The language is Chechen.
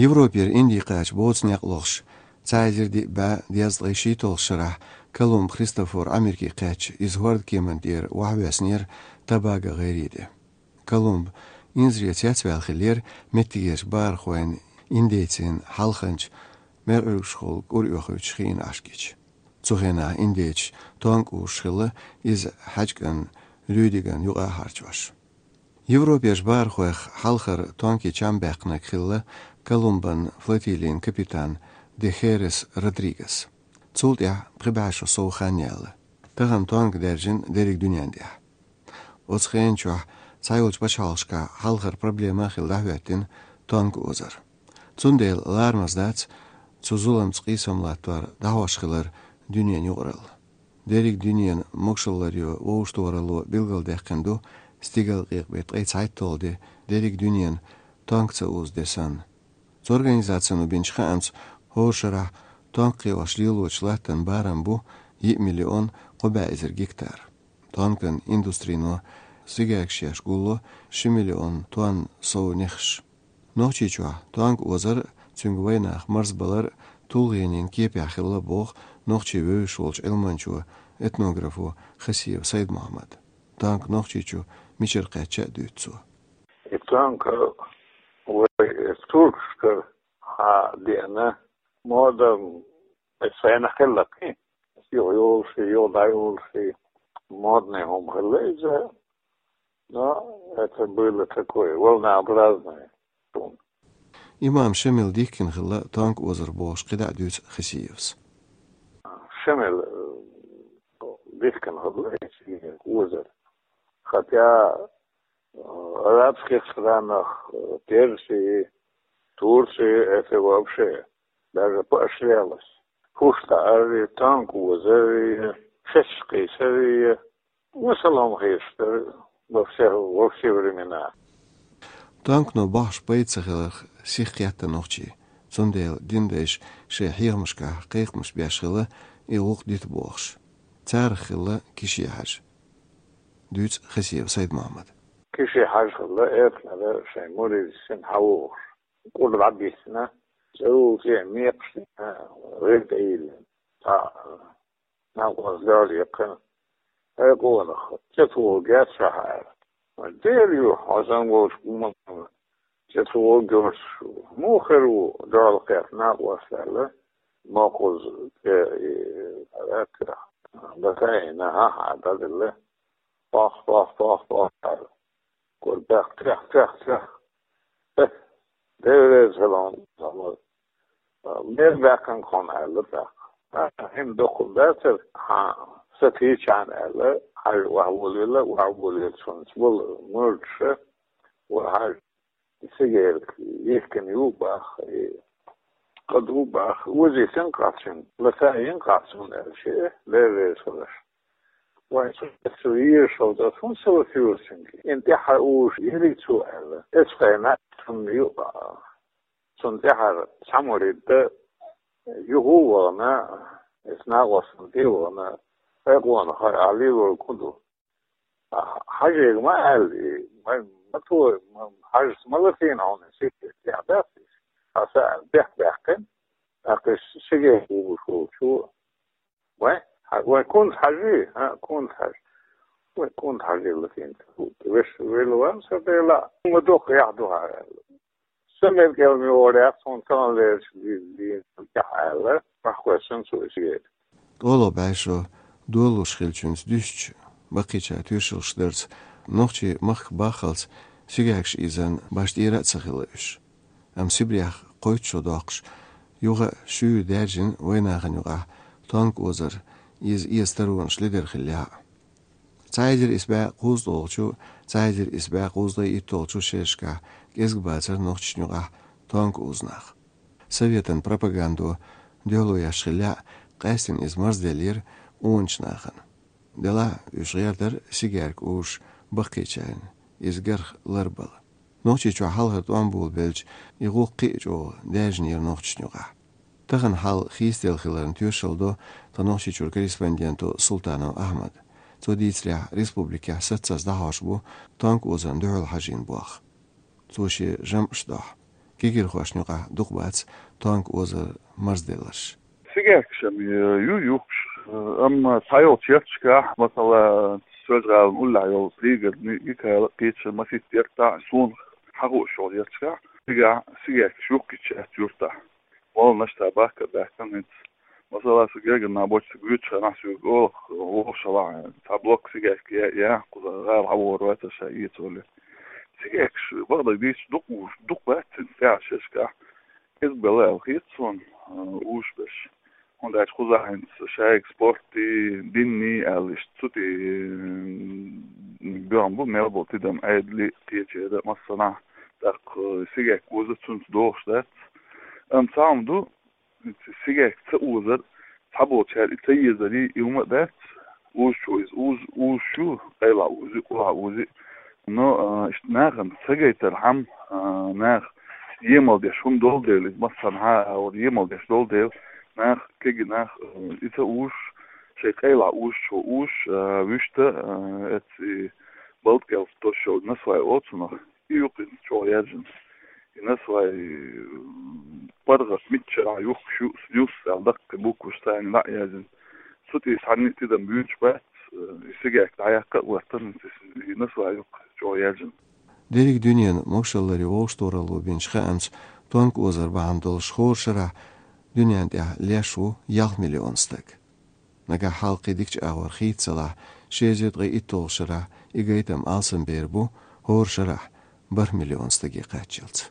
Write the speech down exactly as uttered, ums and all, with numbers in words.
Европера Инди кхаьча боцу некъ лохуш, цхьа эзар диъ бӀе дезткъе шийтталгӀачу шарахь Колумб Христофор Ӏамеркий кхаьчча, иза хӀордкеман тӀера охьавоьссинера Тобаго гӀайре тӀе. Колумб инзаре цецваьлла хиллера меттигерчу бахархойн, индейцийн хьалханчу мерӀуьргашхула кӀур оьхуьйтуш хиъна Ӏаш гича. Цу хенахь индейцаш тонка узуш хилла, иза хьаьжкӀанна Рюдиган юкъа а харцош. Европерчу бахархойх хьалхара тонкийн чам баьккхинарг хилла Колумбан флотилин капитан де Херес Родригес. Цул тӀаьхьа пхи бӀе шо сов хан яьлла. Тахана тонка даьржина дерриг дуьнен тӀехь. Оцу хенан чохь цхьайолчу пачхьалкхашкахь хьалхара проблема а хилла дӀахӀоьттина тонка озар. Цундела ларамаза дац цу зуламца къийсам латтор дӀахьош хилар дуьненан юкъаралла. Дерриг дуьненан могушалла ларъян вовшахтохаралло билгалдаьккхина ду стигалкъекъа беттан ткъе цхьайтталгӀа де, дерриг дуьненан тонка ца узу де санна. Цу организацино бинчу хаамца, хӀора шарахь тонка кхиош лелочу латтан барам бу йиъ миллион кхо бӀе эзар гектар. Тонкан индустрино сигайкаш еш гулло ши миллион тонна сов нехаш. Нохчийчохь тонка озар а, цуьнга вайнах марзбалар а тулгӀенийн кепехь хилла боху нохчийн вевзаш волчу Ӏилманчо, этнографо Хасиев Сайд-Мухьаммада. Тонка Нохчийчу мичара кхаьчча а дуьйцу цо. И тонка вай туркашкара хьа деана, мода, и сайна хилла кхин. Юха йолуш и, юха дӀайолуш и, модный хӀума хилла иза. Но это было такое, волнообразное. Имам Шамил дихкина хилла тонка озар бохуш кхидӀа а дуьйцу Хасиевс. Шамил, э, дихкина хилла эциган озар. Хотя, э, арабских странах, э, Персии, Турции это вообще даже поощрялось. Хушта ари, тонка озари, шеш кхийсари, Вассалам хир дара во все, во все времена. Тонкано бахьаш пайда ца хиларх сих кхетта нохчий. Цундела динан дайша шайн хьехамашкахь кхайкхамаш беш хилла и гӀуллакх дита бохуш. Царах хилла Киши-Хьаьжа. Дуьйцу Хасиев Сайд-Мухьаммада. Киши-Хьаьжа хилла, эртнара шайн муридашна хьавогӀуш. КӀур дӀабиссина, цӀе вулче а мекхаш дина, гӀиртӀа йиллина. Цхьа накъост гаьлла яьккхина. Хьекъонах, цӀе тӀе вогӀу герз ша хьаьра. Дера ю, хьо санна волчу хӀуманна цӀе тӀе вогӀу герз. Муха хир ву, дуьхьал кхетта накъост аьлла, мокхаза цӀе, и, хьаьраккхира. Даккхийна, хьа-хьа, дӀаделла. Пох, пох, пох, пох, аьлла. Кура, пех, пех, пех, пех. Э, Дела реза хила хьуна, Мухьаммад. Мел баьккхина хьуна аьлла тӀаккха. ХӀинца дукха дацара, хьан са тийчахьана аьлла, хьажа охьаволийла, охьаволийла цунца волу мурдаша, ва хьажа, и сигерка йихкина ю баха, и кхаду баха, озийта йина кхаччунга, лата йина кхаччунга аьлла шиъ, Дела реза хила аш. Вайн цу, цу везаш волчу ас хӀунда ца латайора цуьнга? Ин тӀаьхьа уьш йирий цо аьлла. Эцу хенахь цунна ю, цунна тӀаьхьара цхьа мурид дан юха а вахана, эцу накъостана тӀе а вахана, хьекъонах хьо ахь лелориг хӀун ду? Хьажийга ма аьлла, ма, ма то, ма, хьажас ма латийна хьуна, сиха тӀехь дац иза. Хьан са аьлла, бехк баьккхина, тӀаккха иза сигерка вугуш волчо. Вай, хьа-, вай кунца хьажий, а, кунца хьажа. Вай кунца хьажий латийна. Веш, велла ван сан Дела, ма дукха яхь ду хьара аьлла. Сан мел кӀел ма йогӀур яц, хьуна таханлерчу дийнахь яхь аьлла, бахкхоьссина цо и сигерка. ТӀоло бӀе шо долалуш хиллачуьнца дуьстича, баккхийчара тоьшаллаш дарца, нохчийн махка баххалц сигеркаш ийзан башха тӀера а ца хилла уьш. Амма Сибрех кхойтта шо доккхуш, юха а шуьйра даьржина вайнахана юкъахь тонка озар, иза эца таронаш ледара хиллехь а. Цхьа эзар исс бӀе кхузткъалгӀачу, цхьа эзар исс бӀе кхузткъе итталгӀачу шерашкахь кӀезиг бацара нохчашна юкъахь тонка узу нах. Советан пропагандо дуьхьало еш хиллехь а, къаьстина иза марзделлера къоначу нахана. Делахь а уьш гӀертара сигерка узуш баккхийчарна, иза гарх ларбала. Нохчийчохь хьалхара тӀом болабелча, и гӀуллакх кхин а чӀогӀа даьржинера нохчашна юкъахь. Тахана хьал хийцаделла хиларна тоьшалла до тхан Нохчийчуьра корреспонденто Султанов Ахьмада. Цо дийцарехь, республикехь саццаза дӀахьош бу тонка озарна дуьхьал хьажийна болх. Цо шен жамӀаш дохьу. Кегирхошна юкъахь дукха бац тонка озар марзделларш. Сигаьркаш-м ю юхкуш, амма цхьайолчу ярташкахь, масала, Соьлжа-ГӀалина уллехь йолу Пригородный, Икала, кхечу масийтта яртахь, суна хьахууш йолу ярташкахь, цигахь сигаьркаш юхкуьйтуш яц юьртахь. Молланаш цхьа бахка а баьхкина хӀинца. Масала, сан гергара нах болчу сан гуьйцучу хенахь соьга олу, вовшахлахь цхьа блок сигаьрка я, я, кхуза гӀала хьавогӀур вац ша эца олий. Сигаьркаш, бакъдерг дийцича, дукха уьш, дукха бац цуьнца тӀехь шерашкахь. Иза бала аьлла хета суна, а, уьш берш. ХӀунда аьлча кхузахь хӀинца шайга спортий, динний аьлла иштта цу тӀе, м, боьхна бу мел болу тидам, Ӏедале а, кхечера а массанхьа. ТӀаккха сигаьрка оза цуьнца догӀуш дац. Амма цхьа хӀума ду, сигаьрка ца озар, цхьаболчара и ца езарий, и хӀума а дац. Узучо иза уз-, узуш ю, къайлахь узи, къулахь узи. Но, а, иштта нахана ца гайтархьама, а, наха емал деш хӀума долу дела, иза массанхьа а агӀор емал деш долу дела, нах, кегий нах, а, и ца узуш, шайн къайлахь узучо узуш, а, вуьшта, а, эцца и балткъелла тосуш йолу насвай оцунах. И юкъа чӀогӀа яьржина. И насвай, паргӀат миччарахь юхкуш ю, снюс аьлла даккхий букваш царна дӀа а яьржина. Цу тӀе цхьанна а тидам буьйцуш бац, и сигаьрка дӀаяккха а гӀоьртина, и насвай юкъа чӀогӀа яьржина. Дерриг дуьненан могашалларе вовшахтохаралла бинчу хаамца, тонка озар бахьана долуш хӀора шарахь дуьненна тӀехь леш ву ялх миллион стаг. Нагахь хьалха кхин дикачу агӀор хийццалахь, ши эзар ткъе итталгӀачу шарахь и гайтам алсамбер бу хӀора шарахь бархӀ миллион стаге кхаччалц.